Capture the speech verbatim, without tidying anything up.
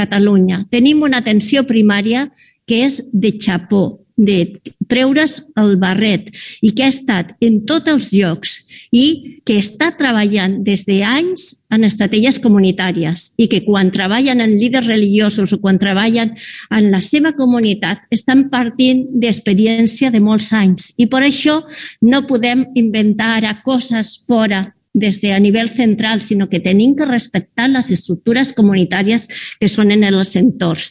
Catalunya. Tenim una atenció primària que és de xapó, de treure's el barret i que ha estat en tots els llocs i que està treballant des d'anys en estratègies comunitàries i que quan treballen en líders religiosos o quan treballen en la seva comunitat estan partint d'experiència de molts anys i per això no podem inventar ara coses fora des de a nivell central, sinó que tenim que respectar les estructures comunitàries que són en els entorns.